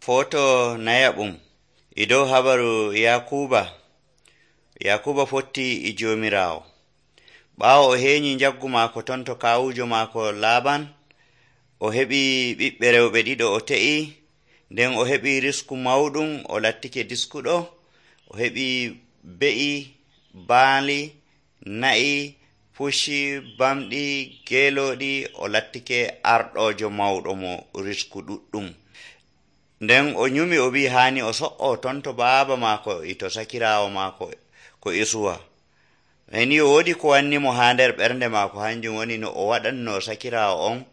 Foto nayaɓum e dow habaru Yakuba fotti e jomirawo. Ɓaawo o heñi jaggu maako ton to kawujo maako Laban, o heɓi ɓiɓɓe rewɓe ɗiɗo o te'i, nden o heɓi risku mawɗum, o lattike diskuɗo, o heɓi be'i, baali, na'i, pucci, bamɗi, geelooɗi, o lattike arɗojo mawɗo mo risku ɗuɗɗum. Nden o nyumi o wi hani o so'o ton to baaba maako to sakirawo maako ko Isuwa. Ni o wodi ko wanni mo ha nder ɓernde maako, hanjum woni no o waɗanno sakirawo on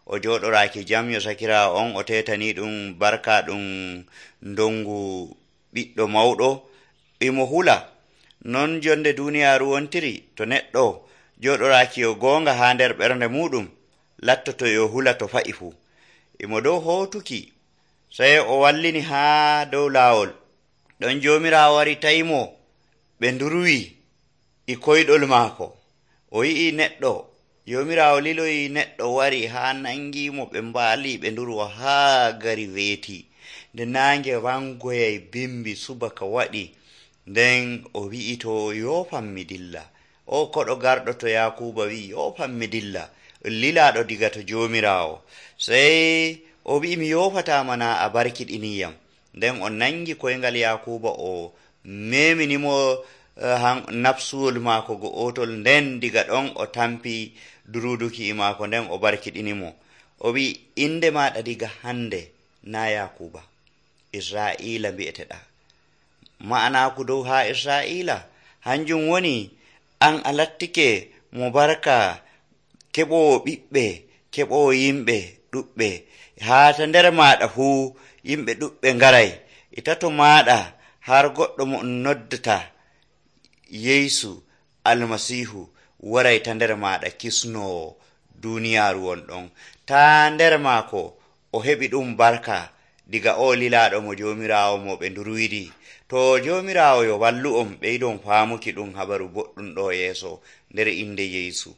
o joɗoraki jam yo sakirawo on o tetani ɗum barka ɗum dongu ɓiɗɗo mawɗo imo hula. Non jonde duniyaru wontiri, to neɗɗo joɗoraki yo gonga ha nder ɓernde muɗum lattoto yo hula to fa'i fu. Imo dow hotuki sai o wallini ha dow lawol, ɗon jomirawo wari tayimo ɓe ndurwi e koyɗol maako. O yi'i neɗɗo, jomirawo liloyi neɗɗo wari ha nangimo ɓe mbaali ɓe ndurwa ha gari weeti. Nde nange wangoyai bimbi subaka waɗi, nden o wi'i to yofanmi dilla. O koɗo garɗo to Yakuba wi yofanmi dilla, lilaɗo diga to jomirawo. Sai o wi'i mi yofatama na a barkiɗiniyam. Nden o nangi koyngal Yakuba o meminimo nafsuwol maako go'otol, nden diga ɗon o tampi duruduki e maako, nden o barkiɗinimo. O wi inde maɗa diga hande na Yakuba, Isra'ila mbi'eteɗa. Ma'anaku dow ha Isra'ila hanjum woni an a lattike mo barka, keɓowo ɓiɓɓe, keɓowo yimɓe ɗuɓɓe. Ha ta nder maɗa fuu yimɓe ɗuɓɓe ngaray, e tato maɗa har goɗɗo mo noddata Yesu Almasihu waray ta nder maɗa kisnowo duniyaru wonɗon. Ta nder maako o heɓi ɗum barka diga o lilaɗo mo jomirawo mo ɓe ndurwidi. To jomirawo yo wallu'on ɓeydon faamuki ɗum habaru boɗɗum ɗo yeeso nder inde Yesu.